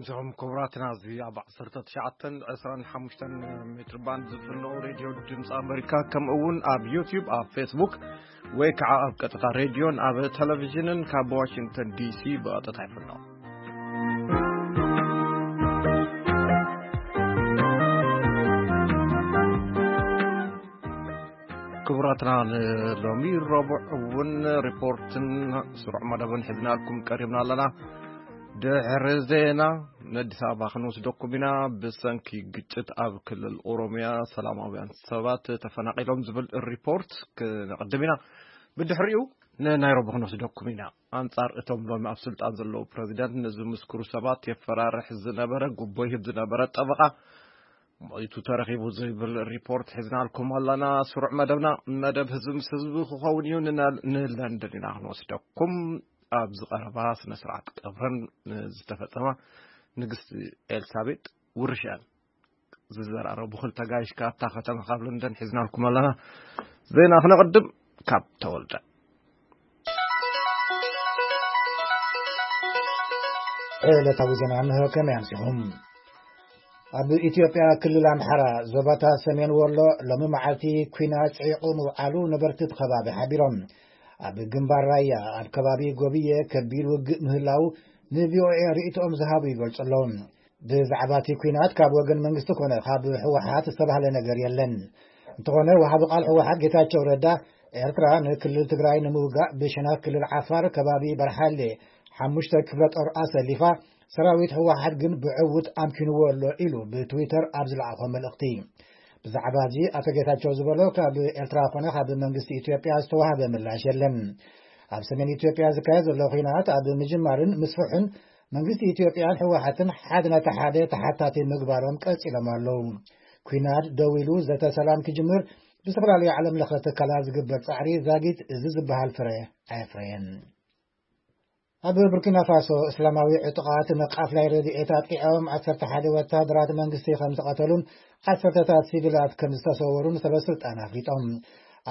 እዞም ክቡራትና፣ እዚ ኣብ ዓሰርተ ትሽዓተን ዕስራን ሓሙሽተን ሜትር ባንድ ዝፍኖ ሬድዮ ድምፂ ኣሜሪካ፣ ከምኡ እውን ኣብ ዩቲዩብ፣ ኣብ ፌስቡክ፣ ወይ ከዓ ኣብ ቀጥታ ሬድዮን ኣብ ቴሌቪዥንን ካብ ዋሽንግተን ዲሲ ብቐጥታ ይፍኖ። ክቡራትና፣ ንሎሚ ረቡዕ እውን ሪፖርትን ስሩዕ መደብን ሒዝናልኩም ቀሪብና ኣለና። ድሕሪ ዜና፣ ንኣዲስ ኣበባ ክንወስደኩም ኢና። ብሰንኪ ግጭት ኣብ ክልል ኦሮሚያ ሰላማውያን ሰባት ተፈናቒሎም ዝብል ሪፖርት ክነቕድም ኢና። ብድሕሪኡ፣ ንናይሮቢ ክንወስደኩም ኢና። ኣንጻር እቶም ሎሚ ኣብ ስልጣን ዘለዉ ፕረዚደንት ንዝምስክሩ ሰባት የፈራርሕ ዝነበረ፣ ጉቦ ይህብ ዝነበረ ጠበቓ ሞይቱ ተረኺቡ ዝብል ሪፖርት ሒዝናልኩም ኣለና። ስሩዕ መደብና፣ መደብ ህዝቢ ምስ ህዝቢ ክኸውን እዩ። ንና-፣ ንለንደን ኢና ክንወስደኩም። ኣብዚ ቀረባ ስነ ስርዓት ቀብረን ዝተፈጸማ ንግስቲ ኤልሳቤጥ ውርሻን ዝዘራረቡ ክልተ ጋይሽ ካብታ ከተማ ካብ ለንደን ሒዝናልኩም ኣለና። ዜና ክነቕድም ካብ ተወልደ። ዕለታዊ ዜና እንሆ። ከመይ ኣምሲኹም? ኣብ ኢትዮጵያ ክልል ኣምሓራ ዞባታት ሰሜን ወሎ ሎሚ መዓልቲ ኲናት ጽዒቑ ምውዓሉ ነበርቲ እቲ ከባቢ ሓቢሮም። ኣብ ግንባር ራያ ኣብ ከባቢ ጎብየ ከቢድ ውግእ ምህላው ንቪኦኤ ርእይቶኦም ዝሃቡ ይገልጹ ኣለዉ። ብዛዕባ እቲ ኲናት ካብ ወገን መንግስቲ ኮነ ካብ ህወሓት ዝተባህለ ነገር የለን። እንተኾነ፣ ወሃቢ ቃል ህወሓት ጌታቸው ረዳ፣ ኤርትራ ንክልል ትግራይ ንምውጋእ ብሸነኽ ክልል ዓፋር ከባቢ በርሓሌ ሓሙሽተ ክፍለ ጦር ኣሰሊፋ፣ ሰራዊት ህወሓት ግን ብዕውት ኣምኪንዎ ኣሎ ኢሉ ብትዊተር ኣብ ዝለኣኾ መልእኽቲ። ብዛዕባ እዚ ኣቶ ጌታቸው ዝበሎ ካብ ኤርትራ ኮነ ካብ መንግስቲ ኢትዮጵያ ዝተዋህበ ምላሽ የለን። ኣብ ሰሜን ኢትዮጵያ ዝካየድ ዘሎ ኲናት ኣብ ምጅማርን ምስፍሑን መንግስቲ ኢትዮጵያን ህወሓትን ሓደ ነቲ ሓደ ተሓታቲ ምግባሮም ቀጺሎም ኣለዉ። ኲናት ደው ኢሉ ዘተ ሰላም ክጅምር ብዝተፈላለዩ ዓለም ለኸ ትካላት ዝግበር ጻዕሪ ዛጊት እዚ ዝበሃል ፍረ ኣየፍረየን። ኣብ ቡርኪና ፋሶ እስላማዊ ዕጡቓት ንቃፍላይ ረድኤት ኣጥቂዖም ዓሰርተ ሓደ ወታደራት መንግስቲ ከም ዝቐተሉን ዓሰርተታት ሲቪላት ከም ዝተሰወሩን ሰበስልጣን ኣፍሊጦም።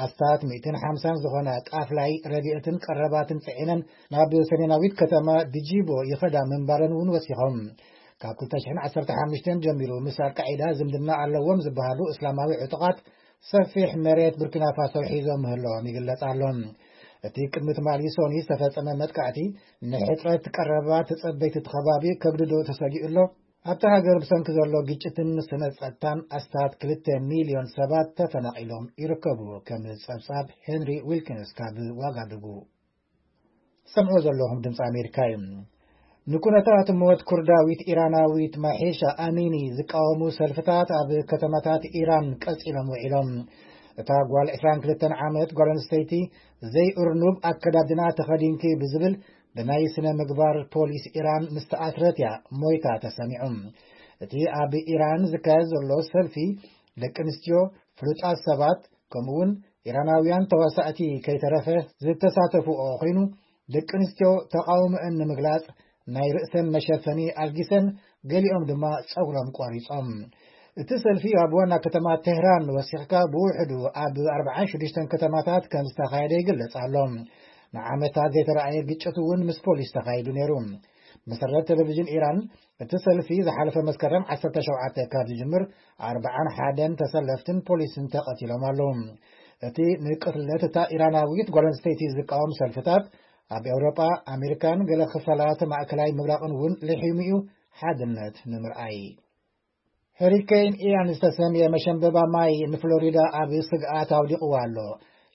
ኣስታት ሚእትን ሓምሳን ዝኾና ቃፍላይ ረድኤትን ቀረባትን ጽዒነን ናብ ሰሜናዊት ከተማ ድጂቦ ይኸዳ ምንባረን እውን ወሲኾም። ካብ ክልተ ሽሕን ዓሰርተ ሓሙሽተን ጀሚሩ ምስ ኣልቃዒዳ ዝምድና ኣለዎም ዝበሃሉ እስላማዊ ዕጡቓት ሰፊሕ መሬት ቡርኪና ፋሶ ሒዞም ምህላዎም ይግለጽ ኣሎ። እቲ ቅድሚ ትማሊ ሰኑይ ዝተፈጸመ መጥቃዕቲ ንሕጽረት ቀረባት ጸበይቲ እቲ ከባቢ ከግድዶ ተሰጊኡ ኣሎ። ኣብታ ሃገር ብሰንኪ ዘሎ ግጭትን ስነ ጸጥታን ኣስታት ክልተ ሚልዮን ሰባት ተፈናቒሎም ይርከቡ። ከም ጸብጻብ ሄንሪ ዊልኪንስ ካብ ዋጋዱጉ። ሰምዑ ዘለኹም ድምፂ ኣሜሪካ እዩ። ንኩነታት ሞት ኩርዳዊት ኢራናዊት ማሒሻ ኣሚኒ ዝቃወሙ ሰልፍታት ኣብ ከተማታት ኢራን ቀጺሎም ውዒሎም። እታ ጓል ዕስራን ክልተን ዓመት ጓል ኣንስተይቲ፣ ዘይእርኑብ ኣከዳድና ተኸዲንኪ ብዝብል ብናይ ስነ ምግባር ፖሊስ ኢራን ምስ ተኣስረት እያ ሞይታ ተሰሚዑ። እቲ ኣብ ኢራን ዝካየድ ዘሎ ሰልፊ፣ ደቂ ኣንስትዮ፣ ፍሉጣት ሰባት፣ ከምኡውን ኢራናውያን ተዋሳእቲ ከይተረፈ ዝተሳተፍኦ ኮይኑ፣ ደቂ ኣንስትዮ ተቓውሞአን ንምግላጽ ናይ ርእሰን መሸፈኒ ኣልጊሰን፣ ገሊኦም ድማ ጸጉሮም ቆሪጾም። እቲ ሰልፊ ኣብ ዋና ከተማ ቴህራን ወሲኽካ ብውሕዱ ኣብ ኣርባዓን ሽዱሽተን ከተማታት ከም ዝተኻየደ ይግለጽ ኣሎ። ንዓመታት ዘይተረኣየ ግጭት እውን ምስ ፖሊስ ተኻይዱ ነይሩ። መሰረት ቴሌቪዥን ኢራን፣ እቲ ሰልፊ ዝሓለፈ መስከረም ዓሰርተ ሸውዓተ ካብ ዝጅምር፣ ኣርባዓን ሓደን ተሰለፍትን ፖሊስን ተቐቲሎም ኣለዉ። እቲ ንቅትለት እታ ኢራናዊት ጓል ኣንስተይቲ ዝቃወም ሰልፍታት ኣብ ኤውሮጳ፣ ኣሜሪካን ገለ ክፋላት ማእከላይ ምብራቕን እውን ልሒሙ እዩ፣ ሓድነት ንምርኣይ። ሄሪኬን ኢያን ዝተሰምየ መሸንበባ ማይ ንፍሎሪዳ ኣብ ስግኣት ኣውዲቕዋ ኣሎ።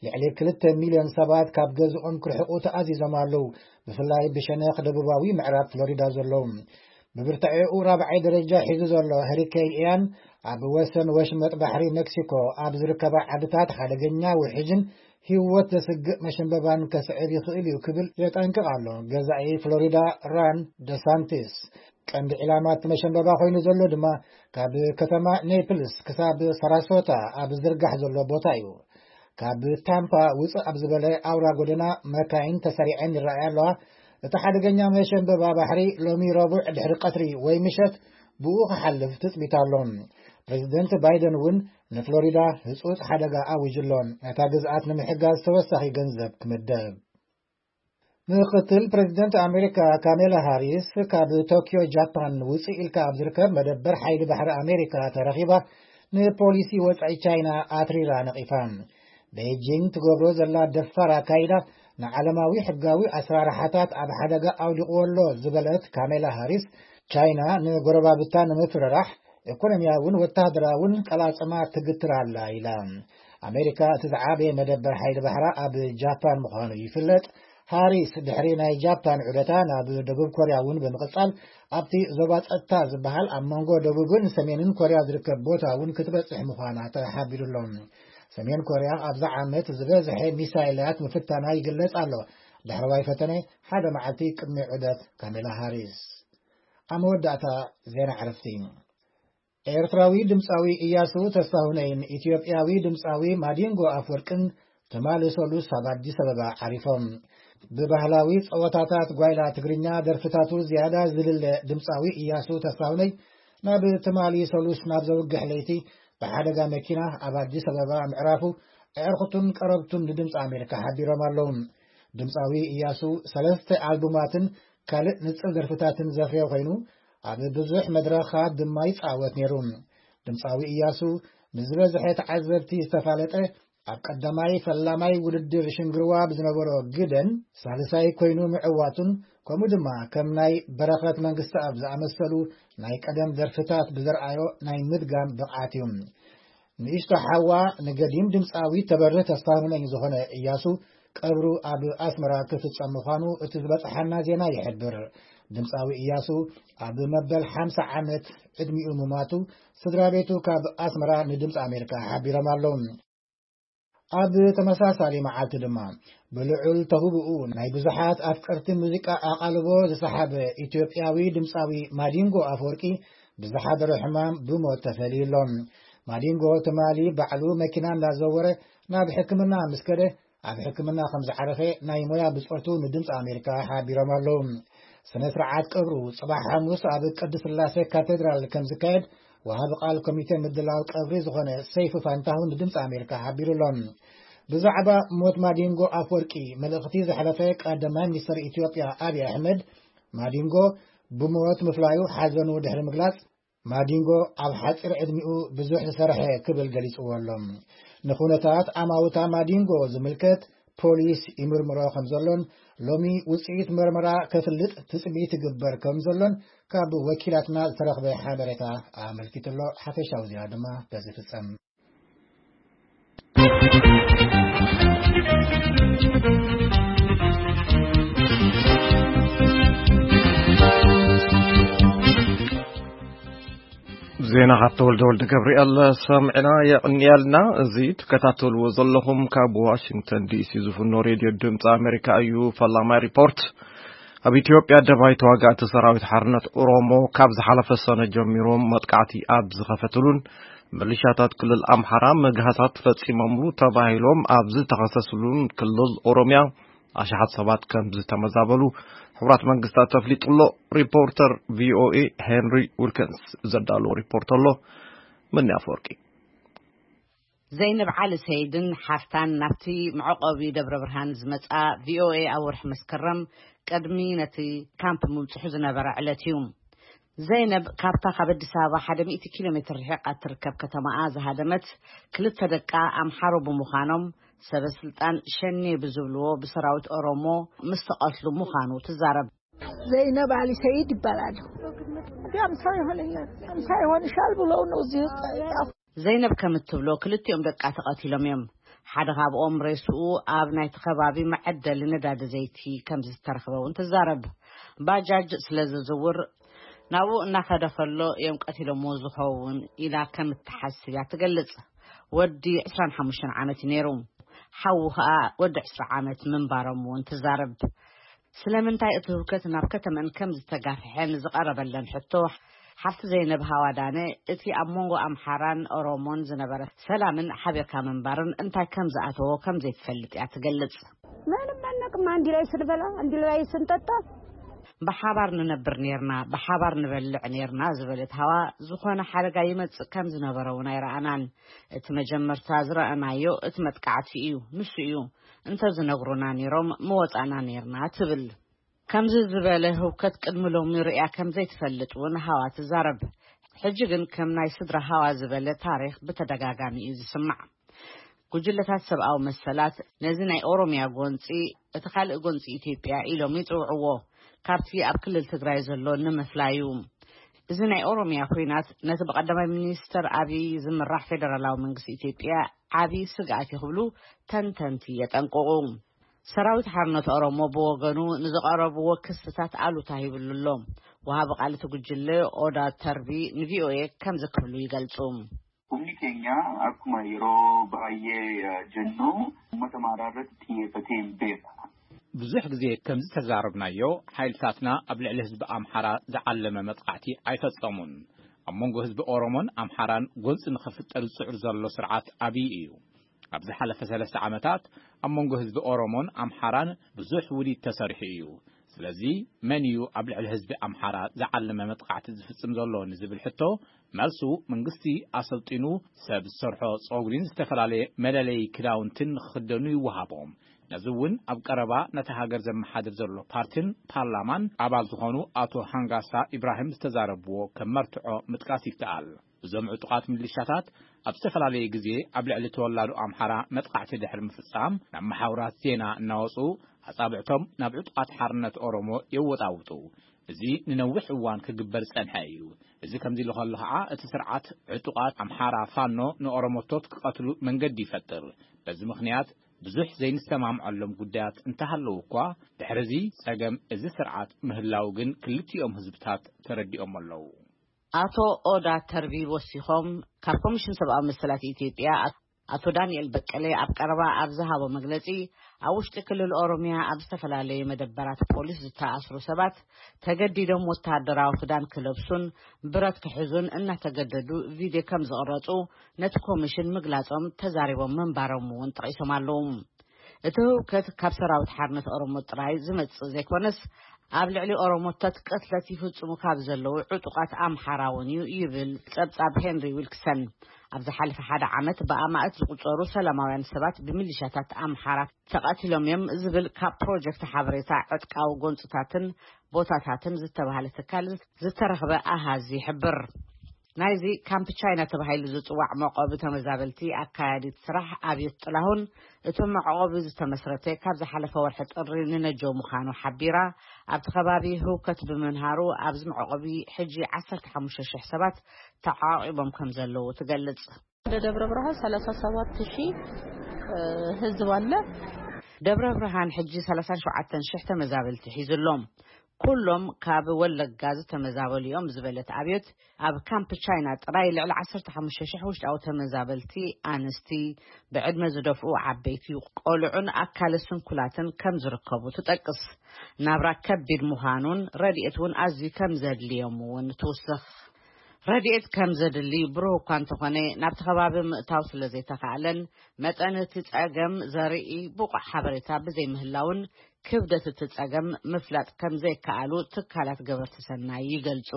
ልዕሊ ክልተ ሚልዮን ሰባት ካብ ገዝኦም ክርሕቑ ተኣዚዞም ኣለዉ፣ ብፍላይ ብሸነኽ ደቡባዊ ምዕራብ ፍሎሪዳ ዘለዉ። ብብርታዒኡ ራብዓይ ደረጃ ሒዙ ዘሎ ሄሪኬን ኢያን፣ ኣብ ወሰን ወሽመጥ ባሕሪ ሜክሲኮ ኣብ ዝርከባ ዓድታት ሓደገኛ ውሕጅን ህይወት ዘስግእ መሸንበባን ከስዕብ ይኽእል እዩ ክብል የጠንቅቕ ኣሎ ገዛኢ ፍሎሪዳ ራን ደሳንቲስ። ቀንዲ ዕላማ እቲ መሸንበባ ኮይኑ ዘሎ ድማ ካብ ከተማ ኔፕልስ ክሳብ ሳራሶታ ኣብ ዝርጋሕ ዘሎ ቦታ እዩ። ካብ ታምፓ ውፅእ ኣብ ዝበለ ኣውራ ጎደና መካይን ተሰሪዐን ይረኣያ ኣለዋ። እቲ ሓደገኛ መሸንበባ ባሕሪ ሎሚ ረቡዕ ድሕሪ ቀትሪ ወይ ምሸት ብኡ ክሓልፍ ትፅቢት ኣሎ። ፕሬዚደንት ባይደን እውን ንፍሎሪዳ ህፁፅ ሓደጋ ኣዊጁ ኣሎ፣ ነታ ግዝኣት ንምሕጋዝ ተወሳኺ ገንዘብ ክምደብ። ምክትል ፕሬዚደንት ኣሜሪካ ካሜላ ሃሪስ ካብ ቶኪዮ ጃፓን ውፅእ ኢልካ ኣብ ዝርከብ መደበር ሓይሊ ባሕሪ ኣሜሪካ ተረኺባ፣ ንፖሊሲ ወፃኢ ቻይና ኣትሪራ ነቒፋ። ቤጂንግ ትገብሮ ዘላ ደፋር ኣካይዳ ንዓለማዊ ሕጋዊ ኣሰራርሓታት ኣብ ሓደጋ ኣውዲቕዎ ኣሎ ዝበለት ካሜላ ሃሪስ፣ ቻይና ንጎረባብታ ንምፍርራሕ ኢኮኖሚያውን ወታደራውን ቀላጽማ ትግትር ኣላ ኢላ። ኣሜሪካ እቲ ዝዓበየ መደበር ሓይሊ ባሕራ ኣብ ጃፓን ምዃኑ ይፍለጥ። ሃሪስ ድሕሪ ናይ ጃፓን ዑደታ ናብ ደቡብ ኮርያ እውን ብምቕጻል ኣብቲ ዞባ ጸጥታ ዝበሃል ኣብ መንጎ ደቡብን ሰሜንን ኮርያ ዝርከብ ቦታ እውን ክትበጽሕ ምዃና ተሓቢሩ ኣሎ። ሰሜን ኮርያ ኣብዛ ዓመት ዝበዝሐ ሚሳይላት ምፍታና ይግለጽ ኣሎ። ዳሕረዋይ ፈተነ ሓደ መዓልቲ ቅድሚ ዑደት ካሜላ ሃሪስ። ኣብ መወዳእታ ዜና ዕረፍቲ። ኤርትራዊ ድምፃዊ እያሱ ተስፋሁነይን ኢትዮጵያዊ ድምፃዊ ማዲንጎ ኣፍወርቅን ትማሊ ሰሉስ ኣብ ኣዲስ ኣበባ ዓሪፎም። ብባህላዊ ጸወታታት ጓይላ ትግርኛ ደርፍታቱ ዝያዳ ዝልለ ድምፃዊ እያሱ ተስፋሁነይ ናብ ትማሊ ሰሉስ ናብ ዘውግሕ ለይቲ ብሓደጋ መኪና ኣብ ኣዲስ ኣበባ ምዕራፉ ኣዕርኽቱን ቀረብቱን ንድምፂ ኣሜሪካ ሓቢሮም ኣለዉ። ድምፃዊ እያሱ ሰለስተ ኣልቡማትን ካልእ ንጽል ደርፍታትን ዘፍረየ ኮይኑ፣ ኣብ ብዙሕ መድረኻት ድማ ይጻወት ነይሩ። ድምጻዊ እያሱ ንዝበዝሐ ተዓዘብቲ ዝተፋለጠ፣ ኣብ ቀዳማይ ፈላማይ ውድድር ሽንግርዋ ብዝነበሮ ግደን ሳልሳይ ኮይኑ ምዕዋቱን፣ ከምኡ ድማ ከም ናይ በረኸት መንግስተኣብ ዝኣመሰሉ ናይ ቀደም ደርፍታት ብዘርኣዮ ናይ ምድጋም ብቕዓት እዩ። ንእሽቶ ሓዋ ንገዲም ድምፃዊ ተበርህ ተስፋሁነኝ ዝኾነ እያሱ ቀብሩ ኣብ ኣስመራ ክፍጸም ምዃኑ እቲ ዝበጽሓና ዜና ይሕብር። ድምፃዊ እያሱ ኣብ መበል ሓምሳ ዓመት ዕድሚኡ ምሟቱ ስድራ ቤቱ ካብ ኣስመራ ንድምፂ ኣሜሪካ ሓቢሮም ኣለዉ። ኣብ ተመሳሳሊ መዓልቲ ድማ ብልዑል ተውብኡ ናይ ብዙሓት ኣፍቀርቲ ሙዚቃ ኣቓልቦ ዝሰሓበ ኢትዮጵያዊ ድምፃዊ ማዲንጎ ኣፈወርቂ ብዝሓደሮ ሕማም ብሞት ተፈልዩ ኣሎ። ማዲንጎ ትማሊ ባዕሉ መኪና እንዳዘወረ ናብ ሕክምና ምስ ከደ፣ ኣብ ሕክምና ከም ዝዓረፈ ናይ ሞያ ብጾቱ ንድምፂ ኣሜሪካ ሓቢሮም ኣለዉ። ስነ ስርዓት ቀብሩ ጽባሕ ሓሙስ ኣብ ቅድስት ስላሴ ካቴድራል ከም ዝካየድ ወሃቢ ቃል ኮሚቴ ምድላው ቀብሪ ዝኾነ ሰይፉ ፋንታሁን ንድምፂ ኣሜሪካ ሓቢሩ ኣሎ። ብዛዕባ ሞት ማዲንጎ ኣፍወርቂ መልእኽቲ ዘሕለፈ ቀዳማይ ሚኒስትር ኢትዮጵያ ኣብይ ኣሕመድ፣ ማዲንጎ ብሞት ምፍላዩ ሓዘኑ ድሕሪ ምግላጽ፣ ማዲንጎ ኣብ ሓጺር ዕድሚኡ ብዙሕ ዝሰርሐ ክብል ገሊጽዎ ኣሎ። ንኹነታት ኣማውታ ማዲንጎ ዝምልከት ፖሊስ ይምርምሮ ከም ዘሎን፣ ሎሚ ውጽኢት መርመራ ከፍልጥ ትጽቢት ይግበር ከም ዘሎን ካብ ወኪላትና ዝተረኽበ ሓበሬታ ኣመልኪቱ ኣሎ። ሓፈሻዊ ዜና ድማ በዚ ይፍጸም። ዜና ካብ ተወልደ ወልደ ገብርኤል ሰምዕና የቕንየልና። እዚ ትከታተልዎ ዘለኹም ካብ ዋሽንግተን ዲሲ ዝፍኖ ሬድዮ ድምፂ ኣሜሪካ እዩ። ፈላማይ ሪፖርት። ኣብ ኢትዮጵያ ደባይ ተዋጋእቲ ሰራዊት ሓርነት ኦሮሞ ካብ ዝሓለፈ ሰነ ጀሚሮም መጥቃዕቲ ኣብ ዝኸፈትሉን፣ ምልሻታት ክልል ኣምሓራ መግሃሳት ፈጺሞምሉ ተባሂሎም ኣብ ዝተኸሰስሉን ክልል ኦሮምያ ኣሽሓት ሰባት ከም ዝተመዛበሉ ሕቡራት መንግስታት ተፍሊጡ ኣሎ። ሪፖርተር ቪኦኤ ሄንሪ ዊልኪንስ ዘዳለዎ ሪፖርት ኣሎ። መኒ ኣፈወርቂ። ዘይነብ ዓሊ ሰይድን ሓፍታን ናብቲ መዕቆቢ ደብረ ብርሃን ዝመጻ ቪኦኤ ኣብ ወርሒ መስከረም ቅድሚ ነቲ ካምፕ ምብጽሑ ዝነበረ ዕለት እዩ። ዘይነብ ካብታ ካብ ኣዲስ ኣበባ ሓደ ሚእቲ ኪሎ ሜትር ርሒቓ እትርከብ ከተማኣ ዝሃደመት ክልተ ደቃ ኣምሓሩ ብምዃኖም ሰበ ስልጣን ሸኔ ብዝብልዎ ብሰራዊት ኦሮሞ ምስ ተቐትሉ ምዃኑ ትዛረብ። ዘይነብ ዓሊ ሰይድ ይባላሉ። እንዲ ኣምሳ ይሆነኛል፣ ኣምሳ ይሆንሻል ብለው ነው እዚህ ውስጥ። ዘይነብ ከም እትብሎ ክልቲኦም ደቃ ተቐቲሎም እዮም። ሓደ ካብኦም ሬስኡ ኣብ ናይቲ ከባቢ መዐደሊ ነዳዲ ዘይቲ ከም ዝተረኽበ እውን ትዛረብ። ባጃጅ ስለ ዝዝውር ናብኡ እናኸደ ከሎ እዮም ቀቲሎምዎ ዝኸውን ኢላ ከም እትሓስብ እያ ትገልጽ። ወዲ ዕስራን ሓሙሽተን ዓመት እዩ ነይሩ። ሓዉ ኸኣ ወዲ ዕስራ ዓመት ምንባሮም እውን ትዛረብ። ስለምንታይ እቲ ህውከት ናብ ከተመን ከም ዝተጋፍሐ ንዝቐረበለን ሕቶ፣ ሓፍቲ ዘይነብ ሃዋዳነ እቲ ኣብ መንጎ ኣምሓራን ኦሮሞን ዝነበረ ሰላምን ሓቢርካ ምንባርን እንታይ ከም ዝኣተዎ ከም ዘይትፈልጥ እያ ትገልጽ። ምንም አናውቅም። አንድ ላይ ስንበላ፣ አንድ ላይ ስንጠጣ። ብሓባር ንነብር ኔርና፣ ብሓባር ንበልዕ ኔርና ዝበለት ሃዋ፣ ዝኾነ ሓደጋ ይመጽእ ከም ዝነበረ እውን ኣይረኣናን። እቲ መጀመርታ ዝረኣናዮ እቲ መጥቃዕቲ እዩ፣ ንሱ እዩ። እንተዝነግሩና ኔሮም ምወጻእና ኔርና ትብል። ከምዚ ዝበለ ህውከት ቅድሚ ሎሚ ርእያ ከም ዘይትፈልጥ እውን ሃዋ ትዛረብ። ሕጂ ግን ከም ናይ ስድራ ሃዋ ዝበለ ታሪኽ ብተደጋጋሚ እዩ ዝስማዕ። ጉጅለታት ሰብኣዊ መሰላት ነዚ ናይ ኦሮምያ ጎንጺ፣ እቲ ካልእ ጎንጺ ኢትዮጵያ ኢሎም ይጽውዕዎ፣ ካብቲ ኣብ ክልል ትግራይ ዘሎ ንምፍላዩ። እዚ ናይ ኦሮምያ ኲናት ነቲ ብቐዳማይ ሚኒስተር ኣብይ ዝምራሕ ፌደራላዊ መንግስቲ ኢትዮጵያ ዓቢ ስግኣት እዩ ክብሉ ተንተንቲ የጠንቅቑ። ሰራዊት ሓርነት ኦሮሞ ብወገኑ ንዝቐረብዎ ክስታት ኣሉታ ሂብሉ ኣሎ። ወሃቢ ቃል እቲ ጉጅለ ኦዳ ተርቢ ንቪኦኤ ከምዚ ክብሉ ይገልጹ። Humni keenya akkuma yeroo baay'ee jennu uummata Amaaraa irratti xiyyeeffatee hin beeku. ብዙሕ ግዜ ከም ዝተዛረብናዮ፣ ሓይልታትና ኣብ ልዕሊ ህዝቢ ኣምሓራ ዝዓለመ መጥቃዕቲ ኣይፈጸሙን። ኣብ መንጎ ህዝቢ ኦሮሞን ኣምሓራን ጎንጺ ንኽፍጠር ዝጽዕር ዘሎ ስርዓት ኣብይ እዩ። ኣብ ዝሓለፈ ሰለስተ ዓመታት ኣብ መንጎ ህዝቢ ኦሮሞን ኣምሓራን ብዙሕ ውዲት ተሰሪሑ እዩ። ስለዚ መን እዩ ኣብ ልዕሊ ህዝቢ ኣምሓራ ዝዓለመ መጥቃዕቲ ዝፍጽም ዘሎ ንዝብል ሕቶ፣ መልሱ መንግስቲ ኣሰልጢኑ ሰብ ዝሰርሖ ጸጉሪን ዝተፈላለየ መለለዪ ክዳውንትን ንኽኽደኑ ይወሃቦም። ነዚ እውን ኣብ ቀረባ ነታ ሃገር ዘመሓድር ዘሎ ፓርቲን ፓርላማን ኣባል ዝኾኑ ኣቶ ሃንጋሳ ኢብራሂም ዝተዛረብዎ ከም መርትዖ ምጥቃስ ይከኣል። እዞም ዕጡቓት ሚሊሻታት ኣብ ዝተፈላለየ ግዜ ኣብ ልዕሊ ተወላዶ ኣምሓራ መጥቃዕቲ ድሕሪ ምፍጻም ናብ መሓውራት ዜና እናወጹ ኣጻብዕቶም ናብ ዕጡቓት ሓርነት ኦሮሞ የወጣውጡ። እዚ ንነዊሕ እዋን ክግበር ዝጸንሐ እዩ። እዚ ከምዚ ኢሉ ከሎ ኸዓ እቲ ስርዓት ዕጡቓት ኣምሓራ ፋኖ ንኦሮሞቶት ክቐትሉ መንገዲ ይፈጥር። በዚ ምኽንያት ብዙሕ ዘይንሰማምዐሎም ጉዳያት እንተሃለዉ እኳ ድሕሪ እዚ ጸገም እዚ ስርዓት ምህላው ግን ክልቲኦም ህዝብታት ተረዲኦም ኣለዉ። ኣቶ ኦዳ ተርቢ ወሲኾም ካብ ኮሚሽን ሰብኣዊ መሰላት ኢትዮጵያ ኣቶ ዳንኤል በቀለ ኣብ ቀረባ ኣብ ዝሃቦ መግለጺ ኣብ ውሽጢ ክልል ኦሮምያ ኣብ ዝተፈላለዩ መደበራት ፖሊስ ዝተኣስሩ ሰባት ተገዲዶም ወታደራዊ ክዳን ክለብሱን ብረት ክሕዙን እናተገደዱ ቪድዮ ከም ዝቕረጹ ነቲ ኮሚሽን ምግላጾም ተዛሪቦም ምንባሮም እውን ጠቒሶም ኣለዉ። እቲ ህውከት ካብ ሰራዊት ሓርነት ኦሮሞ ጥራይ ዝመጽእ ዘይኮነስ ኣብ ልዕሊ ኦሮሞታት ቅትለት ይፍጽሙ ካብ ዘለዉ ዕጡቓት ኣምሓራ እውን እዩ ይብል ጸብጻብ ሄንሪ ዊልክሰን። ኣብ ዝሓለፈ ሓደ ዓመት ብኣማእት ዝቑጸሩ ሰላማውያን ሰባት ብሚሊሻታት ኣምሓራ ተቐቲሎም እዮም ዝብል ካብ ፕሮጀክት ሓበሬታ ዕጥቃዊ ጎንጽታትን ቦታታትን ዝተባህለ ትካል ዝተረኽበ ኣሃዝ ይሕብር። ናይዚ ካምፕ ቻይና ተባሂሉ ዝጽዋዕ መዕቆቢ ተመዛበልቲ ኣካያዲት ስራሕ ኣብዮት ጥላሁን፣ እቲ መዕቆቢ ዝተመስረተ ካብ ዝሓለፈ ወርሒ ጥሪ ንነጆ ምዃኑ ሓቢራ፣ ኣብቲ ከባቢ ህውከት ብምንሃሩ ኣብዚ መዕቆቢ ሕጂ ዓሰርተ ሓሙሽተ ሽሕ ሰባት ተዓቂቦም ከም ዘለዉ ትገልጽ። ወደ ደብረ ብርሃን ሰላሳ ሰባት ሺህ ህዝብ አለ። ደብረ ብርሃን ሕጂ ሰላሳ ሸውዓተ ሽሕ ተመዛበልቲ ሒዙ ኣሎ። ኩሎም ካብ ወለጋ ዝተመዛበሉ እዮም ዝበለት ኣብዮት፣ ኣብ ካምፕ ቻይና ጥራይ ልዕሊ ዓሰርተ ሓሙሽተ ሽሕ ውሽጣዊ ተመዛበልቲ፣ ኣንስቲ፣ ብዕድመ ዝደፍኡ ዓበይቲ፣ ቆልዑን ኣካለ ስንኩላትን ከም ዝርከቡ ትጠቅስ። ናብራ ከቢድ ምዃኑን ረድኤት እውን ኣዝዩ ከም ዘድልዮም እውን ትውስኽ። ረድኤት ከም ዘድሊ ብሩህ እኳ እንተኾነ፣ ናብቲ ከባቢ ምእታው ስለ ዘይተኻእለን መጠን እቲ ጸገም ዘርኢ ብቑዕ ሓበሬታ ብዘይምህላውን ክብደት እቲ ጸገም ምፍላጥ ከም ዘይከኣሉ ትካላት ገበርቲ ሰናይ ይገልጹ።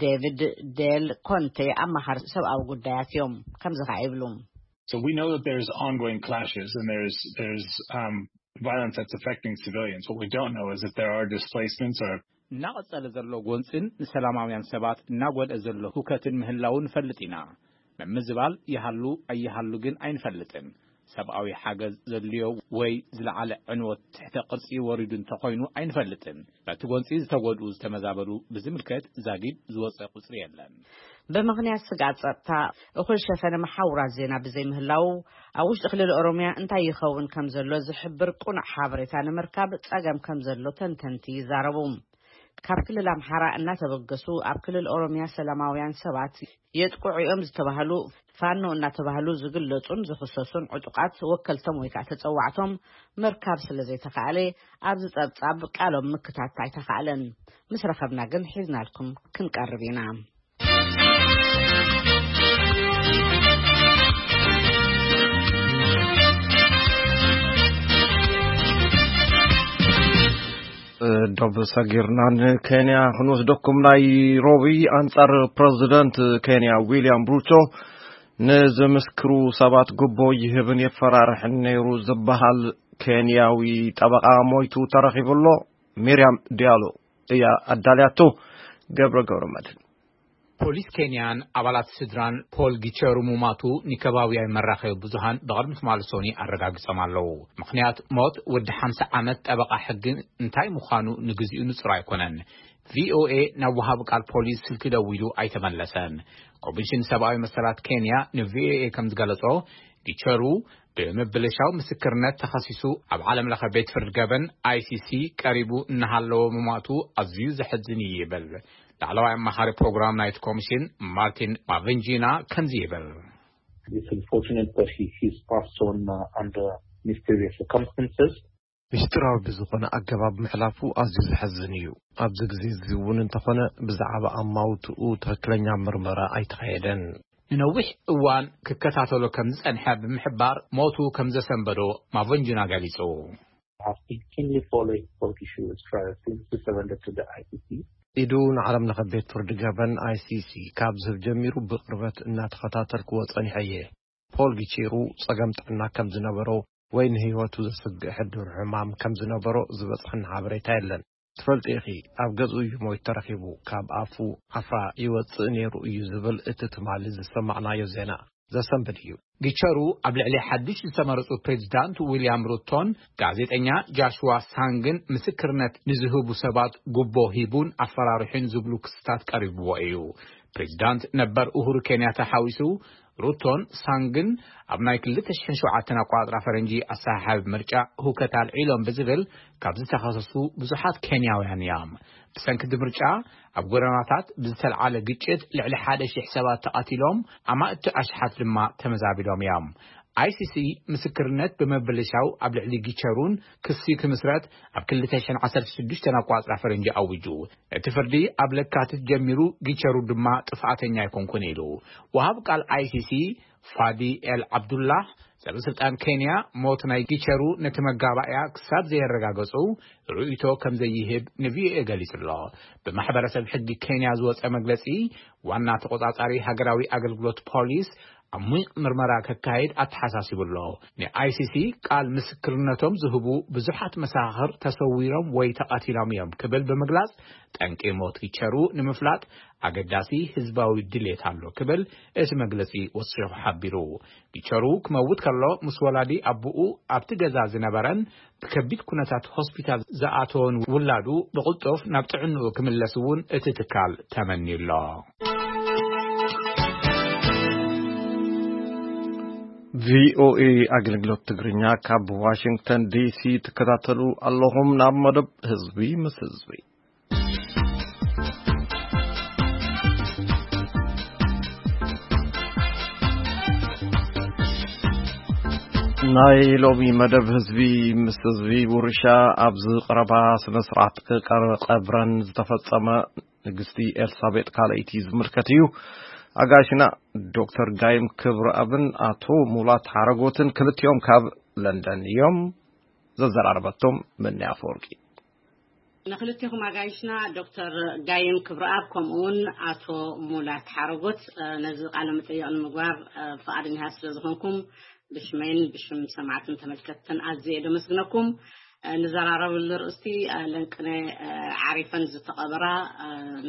ዴቪድ ዴል ኮንቴ ኣማኻሪ ሰብኣዊ ጉዳያት እዮም። ከምዚ ኸዓ ይብሉ። So we know that there's ongoing clashes and there's there's um, violence that's affecting civilians. What we don't know is if there are displacements or እናቐጸለ ዘሎ ጎንጽን ንሰላማውያን ሰባት እናጎድአ ዘሎ ሁከትን ምህላው ንፈልጥ ኢና። ምምዝባል ይሃሉ ኣይሃሉ ግን ኣይንፈልጥን። ሰብኣዊ ሓገዝ ዘድልዮ ወይ ዝለዓለ ዕንወት ትሕተ ቅርጺ ወሪዱ እንተኾይኑ ኣይንፈልጥን። በቲ ጎንጺ ዝተጎድኡ ዝተመዛበሉ ብዝምልከት ዛጊድ ዝወጸ ቁጽሪ የለን። ብምኽንያት ስግኣት ጸጥታ፣ እኹል ሸፈነ መሓውራት ዜና ብዘይምህላው፣ ኣብ ውሽጢ ክልል ኦሮምያ እንታይ ይኸውን ከም ዘሎ ዝሕብር ቁኑዕ ሓበሬታ ንምርካብ ጸገም ከም ዘሎ ተንተንቲ ይዛረቡ። ካብ ክልል ኣምሓራ እናተበገሱ ኣብ ክልል ኦሮምያ ሰላማውያን ሰባት የጥቅዑ እዮም ዝተባህሉ ፋኖ እናተባህሉ ዝግለጹን ዝኽሰሱን ዕጡቃት ወከልቶም ወይ ከዓ ተጸዋዕቶም ምርካብ ስለ ዘይተኻእለ ኣብዚ ጸብጻብ ቃሎም ምክታት ኣይተኻእለን። ምስ ረኸብና ግን ሒዝናልኩም ክንቀርብ ኢና። ዶብ ሰጊርና ንኬንያ ክንወስደኩም። ናይ ሮቢ ኣንጻር ፕረዚደንት ኬንያ ዊልያም ሩቶ ንዝምስክሩ ሰባት ጉቦ ይህብን የፈራርሕን ነይሩ ዝበሃል ኬንያዊ ጠበቓ ሞይቱ ተረኺቡ ኣሎ። ሚርያም ዲያሎ እያ ኣዳልያቶ። ገብረ ገብረ መድህን። ፖሊስ ኬንያን ኣባላት ስድራን ፖል ጊቸሩ ሙማቱ ንከባብያዊ መራኸቢ ብዙሃን ብቕድሚ ትማሊ ሶኒ ኣረጋጊጾም ኣለዉ። ምኽንያት ሞት ወዲ ሓምሳ ዓመት ጠበቓ ሕጊ እንታይ ምዃኑ ንግዚኡ ንጹር ኣይኮነን። ቪኦኤ ናብ ወሃቢ ቃል ፖሊስ ስልኪ ደዊሉ ኣይተመለሰን። ኮሚሽን ሰብኣዊ መሰላት ኬንያ ንቪኦኤ ከም ዝገለጾ፣ ጊቸሩ ብምብልሻው ምስክርነት ተኸሲሱ ኣብ ዓለም ለኸ ቤት ፍርዲ ገበን፣ ኣይሲሲ፣ ቀሪቡ እናሃለወ ምማቱ ኣዝዩ ዘሕዝን እዩ ይብል ላዕለዋይ ኣማኻሪ ፕሮግራም ናይቲ ኮሚሽን ማርቲን ማቨንጂና ከምዚ ይብል። It's unfortunate that he, he's passed on uh, under mysterious circumstances. ምስጢራዊ ብዝኾነ ኣገባብ ምሕላፉ ኣዝዩ ዘሕዝን እዩ። ኣብዚ ግዜ እዚ እውን እንተኾነ ብዛዕባ ኣማውትኡ ትኽክለኛ ምርመራ ኣይተኻየደን። ንነዊሕ እዋን ክከታተሎ ከም ዝጸንሐ ብምሕባር ሞቱ ከም ዘሰንበዶ ማቨንጂና ገሊጹ። I've been keenly following Paul Gishuru's trial since he surrendered to the I C C. ኢዱ ንዓለም ለኸ ቤት ፍርዲ ገበን፣ ኣይሲሲ፣ ካብ ዝህብ ጀሚሩ ብቕርበት እናተኸታተልክዎ ጸኒሐ እየ። ፖል ጊቼሩ ጸገም ጥዕና ከም ዝነበሮ ወይ ንህይወቱ ዘስግእ ሕዱር ሕማም ከም ዝነበሮ ዝበጽሐኒ ሓበሬታ የለን። ትፈልጢ ኢኺ፣ ኣብ ገዝኡ እዩ ሞይት ተረኺቡ። ካብ ኣፉ ዓፍራ ይወጽእ ነይሩ እዩ ዝብል እቲ ትማሊ ዝሰማዕናዮ ዜና ዘሰንብድ እዩ። ጊቸሩ ኣብ ልዕሊ ሓድሽ ዝተመረጹ ፕሬዚዳንት ዊልያም ሩቶን ጋዜጠኛ ጃሽዋ ሳንግን ምስክርነት ንዝህቡ ሰባት ጉቦ ሂቡን ኣፈራሪሑን ዝብሉ ክስታት ቀሪብዎ እዩ። ፕሬዚዳንት ነበር ኡሁሩ ኬንያታ ሓዊሱ ሩቶን ሳንግን ኣብ ናይ ክልተ ሽሕን ሸውዓተን ኣቆጻጽራ ፈረንጂ ኣሰሓሓቢ ምርጫ ሁከት ኣልዒሎም ብዝብል ካብ ዝተኸሰሱ ብዙሓት ኬንያውያን እዮም። ብሰንኪ እቲ ምርጫ ኣብ ጎደናታት ብዝተልዓለ ግጭት ልዕሊ ሓደ ሺሕ ሰባት ተቐቲሎም፣ ኣማእቲ ኣሽሓት ድማ ተመዛቢሎም እዮም። ኣይሲሲ ምስክርነት ብምብልሻው ኣብ ልዕሊ ጊቸሩን ክሲ ክምስረት ኣብ ክልተ ሽሕን ዓሰርተ ሽዱሽተን ኣቋጽራ ፈረንጂ ኣዊጁ። እቲ ፍርዲ ኣብ ለካቲት ጀሚሩ፣ ጊቸሩ ድማ ጥፍኣተኛ ኣይኮንኩን ኢሉ። ወሃብ ቃል ኣይሲሲ ፋዲ ኤል ዓብዱላህ፣ ሰበስልጣን ኬንያ ሞት ናይ ጊቸሩ ነቲ መጋባእያ ክሳብ ዘየረጋገጹ ርእይቶ ከም ዘይህብ ንቪኦኤ ገሊጹ ኣሎ። ብማሕበረሰብ ሕጊ ኬንያ ዝወጸ መግለጺ፣ ዋና ተቆጻጻሪ ሃገራዊ ኣገልግሎት ፖሊስ ዓሚቕ ምርመራ ከካይድ ኣተሓሳሲቡ ኣሎ። ንኣይሲሲ ቃል ምስክርነቶም ዝህቡ ብዙሓት መሳኽር ተሰዊሮም ወይ ተቐቲሎም እዮም ክብል ብምግላጽ፣ ጠንቂ ሞት ጊቸሩ ንምፍላጥ ኣገዳሲ ህዝባዊ ድሌት ኣሎ ክብል እቲ መግለጺ ወሲኹ ሓቢሩ። ጊቸሩ ክመውት ከሎ ምስ ወላዲ ኣቦኡ ኣብቲ ገዛ ዝነበረን ብከቢድ ኩነታት ሆስፒታል ዝኣተወን ውላዱ ብቕልጡፍ ናብ ጥዕንኡ ክምለስ እውን እቲ ትካል ተመንዩ ኣሎ። ቪኦኤ ኣገልግሎት ትግርኛ ካብ ዋሽንግተን ዲሲ ትከታተሉ ኣለኹም። ናብ መደብ ህዝቢ ምስ ህዝቢ። ናይ ሎሚ መደብ ህዝቢ ምስ ህዝቢ ውርሻ ኣብዚ ቀረባ ስነ ስርዓት ቀብረን ዝተፈጸመ ንግስቲ ኤልሳቤጥ ካልኣይቲ ዝምልከት እዩ። ኣጋይሽና ዶክተር ጋይም ክብረኣብን ኣቶ ሙላት ሓረጎትን ክልቲኦም ካብ ለንደን እዮም። ዘዘራረበቶም መኒ ኣፈወርቂ። ንክልቴኹም ኣጋይሽና ዶክተር ጋይም ክብረኣብ ከምኡውን ኣቶ ሙላት ሓረጎት ነዚ ቃለ መጠይቕ ንምግባር ፍቓደኛታት ስለ ዝኾንኩም ብሽመይን ብሽም ሰማዕትን ተመልከትትን ኣዝየ እየ ደመስግነኩም። ንዘራረብሉ ርእስቲ ለንቅነ ዓሪፈን ዝተቐበራ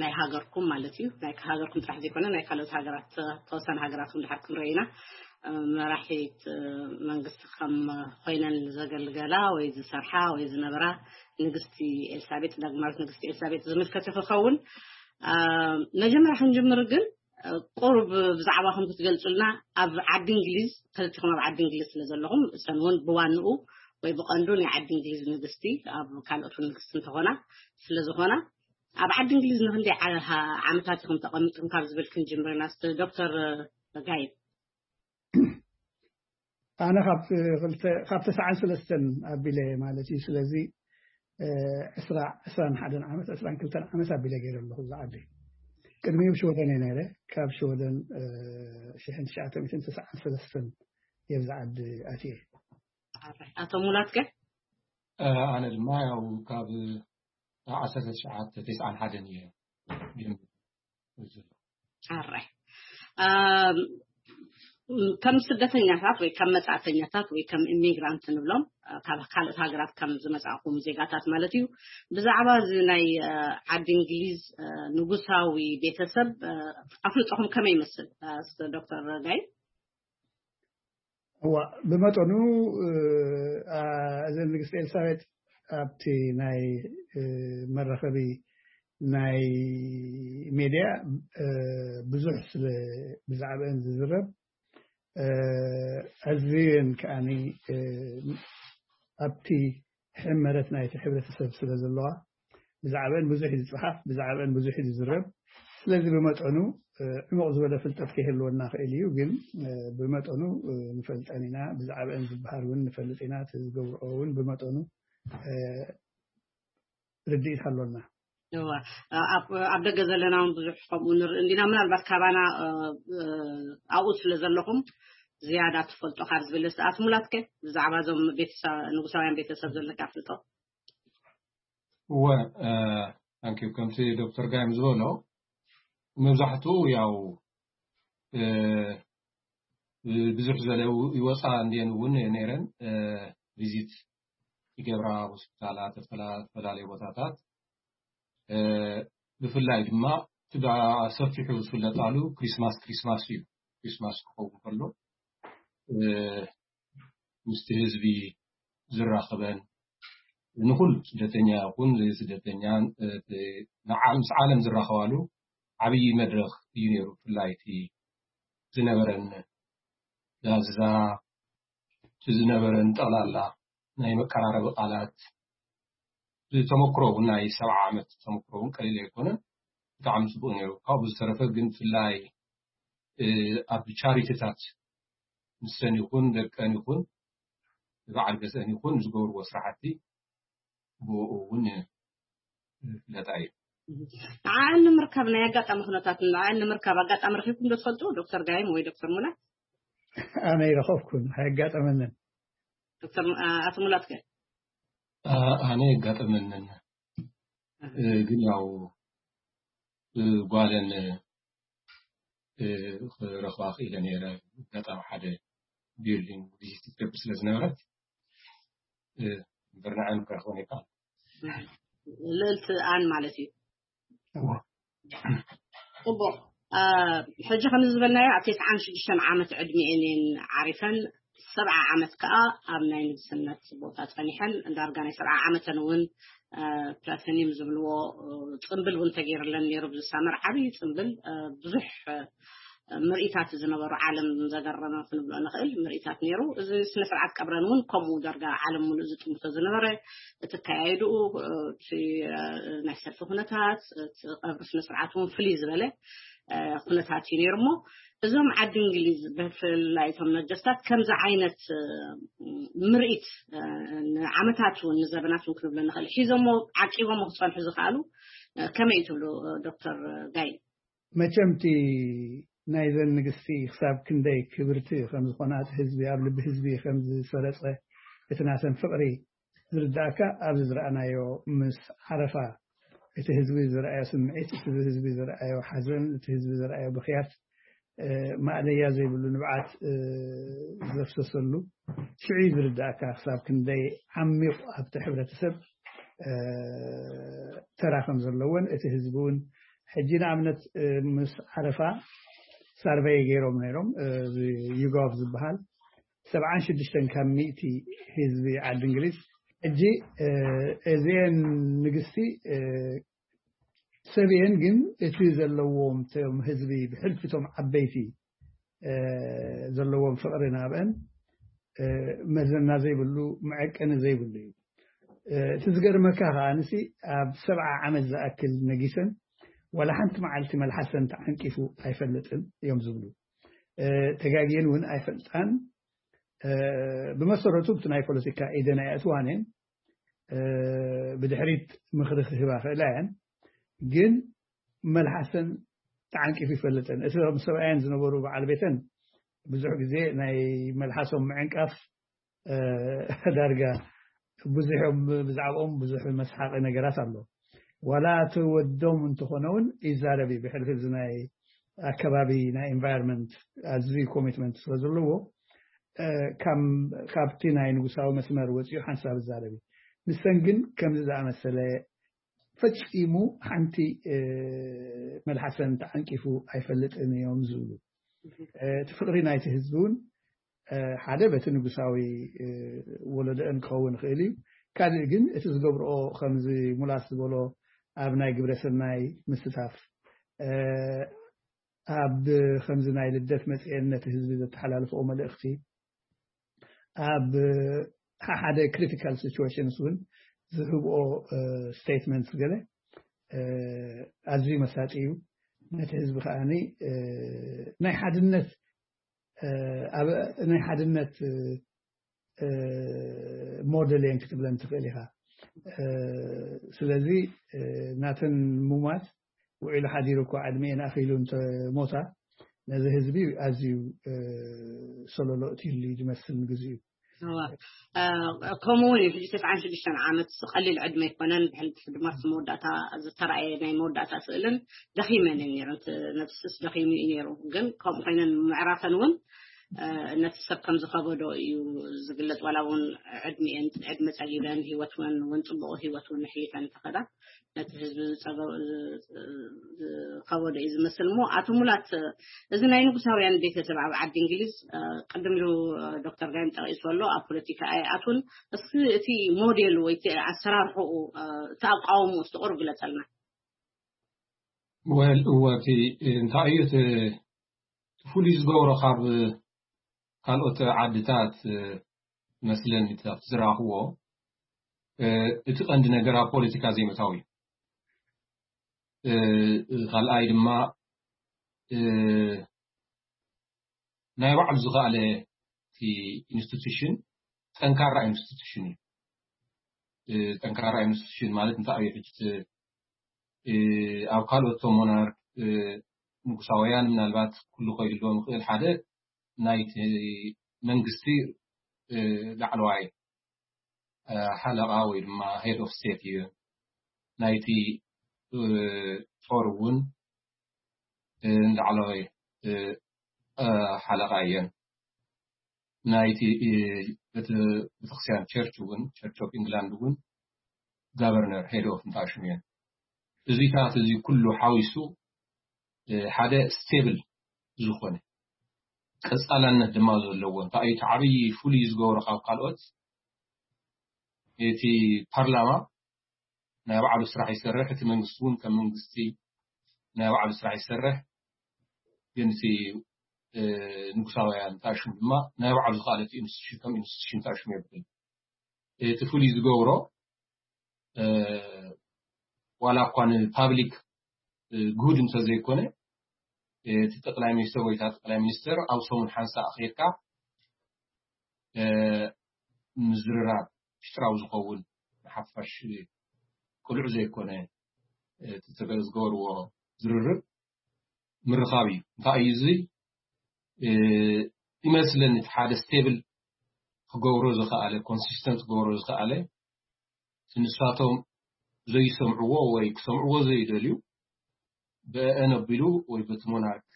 ናይ ሃገርኩም ማለት እዩ። ናይ ሃገርኩም ጥራሕ ዘይኮነ ናይ ካልኦት ሃገራት ተወሰነ ሃገራት እውን ድሓር ክንርኢ ኢና። መራሒት መንግስቲ ከም ኮይነን ዘገልገላ ወይ ዝሰርሓ ወይ ዝነበራ ንግስቲ ኤልሳቤጥ ዳግማዊት ንግስቲ ኤልሳቤጥ ዝምልከት እዩ ክኸውን። መጀመርያ ክንጅምር ግን ቁሩብ ብዛዕባኹም ክትገልጹልና ኣብ ዓዲ እንግሊዝ ክልቲኹም ኣብ ዓዲ እንግሊዝ ስለ ዘለኹም እሰን እውን ብዋንኡ ወይ ብቐንዱ ናይ ዓዲ እንግሊዝ ንግስቲ ኣብ ካልኦት ንግስቲ እንተኾና ስለ ዝኾና ኣብ ዓዲ እንግሊዝ ንክንደይ ዓመታት ኢኹም ተቐሚጥኩም ካብ ዝብል ክንጅምር ኢና ዶክተር ጋይብ። ኣነ ካብ ተስዓን ሰለስተን ኣቢለ ማለት እዩ። ስለዚ ዕስራ ዕስራን ሓደን ዓመት ዕስራን ክልተን ዓመት ኣቢለ ገይረ ኣለኹ እዛ ዓዲ። ቅድሚኡ ኣብ ሽወደን እየ ነይረ። ካብ ሽወደን ሽሕን ትሽዓተ ሚእትን ተስዓን ሰለስተን እየ ብዛ ዓዲ ኣትየ። ኣቶ ሙላት ከ? ኣነ ድማ ያው ካብ ዓሰርተ ትሽዓተ ተስዓን ሓደን እየ ጀሚሩ ዘሎ። ኣራይ ኣም፣ ከም ስደተኛታት ወይ ከም መጻእተኛታት ወይ ከም ኢሚግራንት ንብሎም፣ እ፣ ካብ ካልኦት ሃገራት ከም ዝመጻእኩም ዜጋታት ማለት እዩ። ብዛዕባ እዚ ናይ፣ እ፣ ዓዲ እንግሊዝ፣ እ፣ ንጉሳዊ ቤተሰብ፣ እ፣ ኣፍልጦኹም ከመይ ይመስል? እ፣ ዶክተር ጋይ? እዋ፣ ብመጠኑ፣ እ፣ ኣ፣ እዘን ንግስቲ ኤልሳቤጥ ኣብቲ ናይ፣ እ፣ መራኸቢ ናይ ሜድያ፣ እ፣ ብዙሕ ስለ ብዛዕባአን ዝዝረብ፣ እ፣ ኣዝየን ከኣኒ፣ እ፣ ኣብቲ ሕመረት ናይቲ ሕብረተሰብ ስለ ዘለዋ፣ ብዛዕባአን ብዙሕ እዩ ዝጽሓፍ፣ ብዛዕባአን ብዙሕ እዩ ዝዝረብ። ስለዚ ብመጠኑ፣ እ፣ ዕሙቕ ዝበለ ፍልጠት ከይህልወና ክእል እዩ፣ ግን፣ እ፣ ብመጠኑ፣ እ፣ ንፈልጠን ኢና። ብዛዕባአን ዝበሃል እውን ንፈልጥ ኢና። እቲ ዝገብርኦ እውን ብመጠኑ፣ እ፣ ርድኢት ኣሎና። እዋ፣ ኣብ ኣብ ደገ ዘለና እውን ብዙሕ ከምኡ ንርኢ እንዲና። ምናልባት ካባና፣ እ፣ እ፣ ኣብኡ ስለ ዘለኹም ዝያዳ ትፈልጦ ካብ ዝብል፣ ኣቶ ሙላትከ ብዛዕባ እዞም ቤተሰብ፣ ንጉሳውያን ቤተሰብ ዘለካ ኣፍልጦ? እወ፣ እ፣ ታንኪዩ። ከምቲ ዶክተር ጋይም ዝበሎ፣ መብዛሕትኡ ያው፣ እ፣ ብዙሕ ዝበለ ይወፃ እንድየን እውን ነይረን፣ እ፣ ቪዚት ይገብራ ሆስፒታላት፣ ዝተላ-፣ ዝተፈላለዩ ቦታታት። እ፣ ብፍላይ ድማ እቲ ብሰፊሑ ዝፍለጣሉ ክሪስማስ፣ ክሪስማስ እዩ። ክሪስማስ ክኸውን ከሎ፣ እ፣ ምስቲ ህዝቢ ዝራኸበን፣ ንኹሉ ስደተኛ ይኹን ስደተኛን፣ እ፣ ንዓ-፣ ምስ ዓለም ዝራኸባሉ ዓብዪ መድረኽ እዩ ነይሩ። ብፍላይ እቲ ዝነበረን ዳዛ፣ እቲ ዝነበረን ጠቕላላ ናይ መቀራረቢ ቃላት፣ ተመክሮ እውን ናይ ሰብዓ ዓመት ተመክሮ እውን ቀሊል ኣይኮነን። ብጣዕሚ ጽቡቕ ነይሩ። ካብኡ ዝተረፈ ግን ብፍላይ፣ እ፣ ኣብ ቻሪቲታት ንሰን ይኹን ደቀን ይኹን በዓል ገዝአን ይኹን ዝገብርዎ ስራሕቲ ብኡ እውን ዝፍለጣ እዩ። ንዓን ንምርካብ ናይ ኣጋጣሚ ኩነታት፣ ንዓን ንምርካብ ኣጋጣሚ ረኺብኩም ዶ ትፈልጡ? ዶክተር ጋይም ወይ ዶክተር ሙላት? ኣነ ይረኸብኩን፣ ኣየጋጠመንን። ዶክተር፣ እ፣ ኣቶ ሙላትከ? ኣ-፣ ኣነ የጋጠመንን። እ፣ ግን ያው፣ እ፣ ጓለን፣ እ፣ ክረኽባ ክኢለ ነይረ። ኣጋጣሚ ሓደ ቢልዲንግ ቪዚት ትገብር ስለ ዝነበረት፣ እ፣ እምበር ንዓን ክረኽበን ይከኣል። ልእልቲ ኣን ማለት እዩ። እዋ። ጽቡቕ። እ፣ ሕጂ ከም ዝበልናዮ ኣብ ተስዓን ሽዱሽተን ዓመት ዕድሚኤን እየን ዓሪፈን፣ ሰብዓ ዓመት ከኣ ኣብ ናይ ንግስነት ቦታ ጸኒሐን፣ ዳርጋ ናይ ሰብዓ ዓመተን እውን፣ እ፣ ፕላቲኒየም ዝብልዎ፣ እ፣ ጽምብል እውን ተገይርለን ነይሩ። ብዝሳመር ዓብዪ ጽምብል፣ እ፣ ብዙሕ፣ እ፣ ምርኢታት ዝነበሩ፣ ዓለም ዘገረመ ክንብሎ ንኽእል ምርኢታት ነይሩ። እዚ ስነ ስርዓት ቀብረን እውን ከምኡ ዳርጋ ዓለም ሙሉእ ዝጥምቶ ዝነበረ፣ እቲ ኣካያይድኡ፣ እ፣ እቲ፣ እ፣ ናይ ሰልፊ ኩነታት፣ እቲ ቀብሪ ስነ ስርዓት እውን ፍልይ ዝበለ፣ እ፣ ኩነታት እዩ ነይሩ። እሞ እዞም ዓዲ እንግሊዝ ብፍላይ እቶም ነጀስታት ከምዚ ዓይነት፣ እ፣ ምርኢት፣ እ፣ ንዓመታት እውን ንዘበናት እውን ክንብሎ ንኽእል ሒዞሞ ዓቂቦሞ ክጸንሑ ዝኽኣሉ፣ እ፣ ከመይ እዩ ትብሉ፣ እ፣ ዶክተር ጋይ? መቸም እቲ ናይዘን ንግስቲ ክሳብ ክንደይ ክብርቲ ከም ዝኾና፣ እቲ ህዝቢ ኣብ ልቢ ህዝቢ ከም ዝሰረጸ፣ እቲ ናተን ፍቕሪ ዝርዳእካ ኣብዚ ዝረኣናዮ ምስ ዓረፋ፣ እቲ ህዝቢ ዝረኣዮ ስምዒት፣ እቲ ህዝቢ ዝረኣዮ ሓዘን፣ እቲ ህዝቢ ዝረኣዮ ብኽያት፣ እ፣ ማእለያ ዘይብሉ ንብዓት፣ እ፣ ዘፍሰሰሉ ሽዑ እዩ ዝርዳእካ ክሳብ ክንደይ ዓሚቕ ኣብቲ ሕብረተሰብ፣ እ፣ ተራ ከም ዘለዎን እቲ ህዝቢ እውን ሕጂ ንኣብነት፣ እ፣ ምስ ዓረፋ ሳርቨይ ገይሮም ነይሮም፣ እ፣ እዚ ዩጋፍ ዝበሃል ሰብዓን ሽዱሽተን ካብ ሚእቲ ህዝቢ ዓዲ እንግሊዝ። ሕጂ፣ እ፣ እዚአን ንግስቲ፣ እ፣ ሰብ እየን፣ ግን እቲ ዘለዎም፣ እቶም ህዝቢ ብሕልፊ እቶም ዓበይቲ፣ እ፣ ዘለዎም ፍቕሪ ናብአን፣ እ፣ መዘና ዘይብሉ፣ መዐቀኒ ዘይብሉ እዩ። እ፣ እቲ ዝገርመካ ከኣ፣ ንሲ ኣብ ሰብዓ ዓመት ዝኣክል ነጊሰን፣ ዋላ ሓንቲ መዓልቲ መልሓሰን ተዓንቂፉ ኣይፈልጥን እዮም ዝብሉ። እ፣ ተጋግየን እውን ኣይፈልጣን። እ፣ ብመሰረቱ፣ ብቲ ናይ ፖለቲካ ኢደን ኣየእትዋን እየን። እ፣ ብድሕሪት ምኽሪ ክህባ ክእላ እየን፣ ግን መልሓሰን ተዓንቂፉ ይፈልጥን። እቶም ሰብኣየን ዝነበሩ በዓል ቤተን ብዙሕ ግዜ ናይ መልሓሶም ምዕንቃፍ፣ እ፣ ዳርጋ ብዙሕ እዮም፣ ብዛዕባኦም ብዙሕ መስሓቂ ነገራት ኣሎ። ዋላ እቲ ወዶም እንተኾነ እውን ይዛረብ እዩ። ብሕልፊ እዚ ናይ ኣከባቢ ናይ ኢንቫይሮንመንት ኣዝዩ ኮሚትመንት ስለ ዘለዎ ካብቲ ናይ ንጉሳዊ መስመር ወፂኡ ሓንሳብ ይዛረብ እዩ። ንሰን ግን ከምዚ ዝኣመሰለ ፈፂሙ ሓንቲ መልሓሰን ተዓንቂፉ ኣይፈልጥን እዮም ዝብሉ። እቲ ፍቕሪ ናይቲ ህዝቢ እውን ሓደ በቲ ንጉሳዊ ወለዶአን ክኸውን ይኽእል እዩ። ካልእ ግን እቲ ዝገብርኦ ከምዚ ሙላት ዝበሎ ኣብ ናይ ግብረ ሰናይ ምስታፍ ኣብ ከምዚ ናይ ልደት መፅኤን ነቲ ህዝቢ ዘተሓላልፍኦ መልእኽቲ ኣብ ሓደ ክሪቲካል ሲቹዌሽንስ እውን ዝህብኦ ስቴትመንትስ ገለ ኣዝዩ መሳጢ እዩ። ነቲ ህዝቢ ከዓኒ ናይ ሓድነት ኣብ ናይ ሓድነት ሞዴል እየን ክትብለን ትኽእል ኢኻ። ስለዚ ናተን ሙማት ውዒሉ ሓዲሩ እኮ ዕድሜ ኣኺሉ እንተ ሞታ ነዚ ህዝቢ ኣዝዩ ሰለሎ እትይሉ እዩ ዝመስል ንግዚኡ። ከምኡ እውን እዩ። ሕጂ ተስዓን ሽዱሽተን ዓመት ቀሊል ዕድመ ኣይኮነን። ብሕልፊ ድማ መወዳእታ ዝተረኣየ ናይ መወዳእታ ስእልን ደኺመን እዩ ነይሩ። ነብስስ ደኺሙ እዩ ነይሩ። ግን ከምኡ ኮይነን ምዕራፈን እውን ነቲ ሰብ ከም ዝኸበዶ እዩ ዝግለጽ። ዋላ እውን ዕድሜን ዕድመ ጸጊበን ህይወት እውን እውን ጽቡቕ ህይወት እውን ኣሕሊፈን እንተኸዳ ነቲ ህዝቢ ዝጸገ- ዝኸበዶ እዩ ዝመስል። እሞ ኣቶ ሙላት፣ እዚ ናይ ንጉሳውያን ቤተሰብ ኣብ ዓዲ እንግሊዝ ቅድም ኢሉ ዶክተር ዳይም ጠቒሱ ኣሎ። ኣብ ፖለቲካ ኣይኣቱን። እስኪ እቲ ሞዴል ወይ እቲ ኣሰራርሕኡ እቲ ኣቃውሞ እስቲ ቁሩብ ግለጸልና። ወል እወ እቲ እንታይ እዩ እቲ ፍሉይ ዝገብሮ ካብ ካልኦት ዓድታት መስለኒ ዝረኣኽዎ እቲ ቀንዲ ነገር ኣብ ፖለቲካ ዘይምእታው እዩ። ካልኣይ ድማ ናይ ባዕሉ ዝኸኣለ ኢንስቲቱሽን ጠንካራ ኢንስቲቱሽን እዩ። ጠንካራ ኢንስቲቱሽን ማለት እንታይ እዩ? ሕጂ ኣብ ካልኦት ሞናርክ ንጉሳውያን ምናልባት ኩሉ ከይህልዎም ይኽእል። ሓደ ናይቲ መንግስቲ ላዕለዋይ ሓለቓ ወይ ድማ ሄድ ኦፍ ስቴት እዩ። ናይቲ ጦር እውን ላዕለዋይ ሓለቓ እየን። ናይቲ ቤተክርስትያን ቸርች እውን ቸርች ኦፍ ኢንግላንድ እውን ጋቨርነር ሄድ ኦፍ እንታሽም እየን። እዚታት እዚ ኩሉ ሓዊሱ ሓደ ስቴብል ዝኾነ ቀፃላነት ድማ ዘለዎ እንታይ እቲ ዓብዪ ፍሉይ ዝገብሮ ካብ ካልኦት እቲ ፓርላማ ናይ ባዕሉ ስራሕ ይሰርሕ፣ እቲ መንግስቲ እውን ከም መንግስቲ ናይ ባዕሉ ስራሕ ይሰርሕ። ግን እቲ ንጉሳውያን ታሽሙ ድማ ናይ ባዕሉ ዝኻለት ኢንስቲቱሽን ከም ኢንስቲቱሽን ታሽሙ የብል። እቲ ፍሉይ ዝገብሮ ዋላ እኳ ንፓብሊክ ጉድ እንተዘይኮነ እቲ ጠቅላይ ሚኒስትር ወይ እታ ጠቅላይ ሚኒስትር ኣብ ሰሙን ሓንሳእ ከይድካ ምዝርራብ ሚስጥራዊ ዝኸውን ንሓፋሽ ቅሉዕ ዘይኮነ እቲ ዝገበርዎ ዝርርብ ምርኻብ እዩ። እንታይ እዩ እዚ ይመስለኒ እቲ ሓደ ስቴብል ክገብሮ ዝኸኣለ ኮንሲስተንት ክገብሮ ዝኸኣለ ንሳቶም ዘይሰምዕዎ ወይ ክሰምዕዎ ዘይደልዩ ብአን ኣቢሉ ወይ በቲ ሞናርክ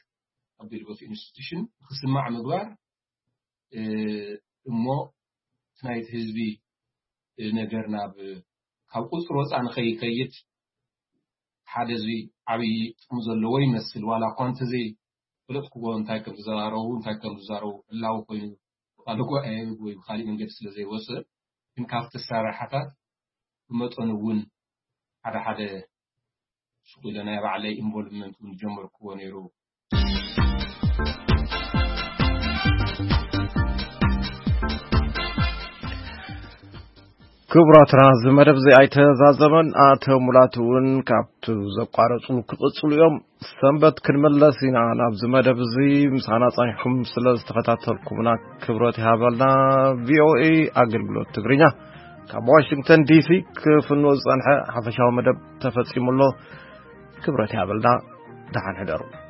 ኣቢሉ በቲ ኢንስቲቱሽን ክስማዕ ምግባር እሞ እቲ ናይቲ ህዝቢ ነገር ናብ ካብ ቁፅሪ ወፃ ንኸይከይድ ሓደ እዚ ዓብዪ ጥቕሚ ዘለዎ ይመስል። ዋላ እኳ እንተዘይ ፈለጥክዎ እንታይ ከም ዝዘራረቡ እንታይ ከም ዝዛረቡ ዕላዊ ኮይኑ ብቃል ጉባኤ ወይ ብካሊእ መንገዲ ስለ ዘይወፅእ ግን ካብቲ ኣሰራርሓታት ብመጠኑ እውን ሓደ ሓደ ስቕ ኢለ ናይ ባዕለይ ኢንቮልቭመንት እውን ጀመርክዎ ነይሩ። ክቡራትና እዚ መደብ እዚ ኣይተዛዘመን። ኣቶ ሙላት እውን ካብቲ ዘቋረጹ ክቕጽሉ እዮም። ሰንበት ክንመለስ ኢና ናብዚ መደብ እዚ ምሳና ጸኒሕኩም ስለ ዝተኸታተልኩምና ክብረት ይሃበልና። ቪኦኤ ኣገልግሎት ትግርኛ ካብ ዋሽንግተን ዲሲ ክፍኖ ዝጸንሐ ሓፈሻዊ መደብ ተፈጺሙ ኣሎ። ክብረት ይሃበልና። ደሓን ሕደሩ።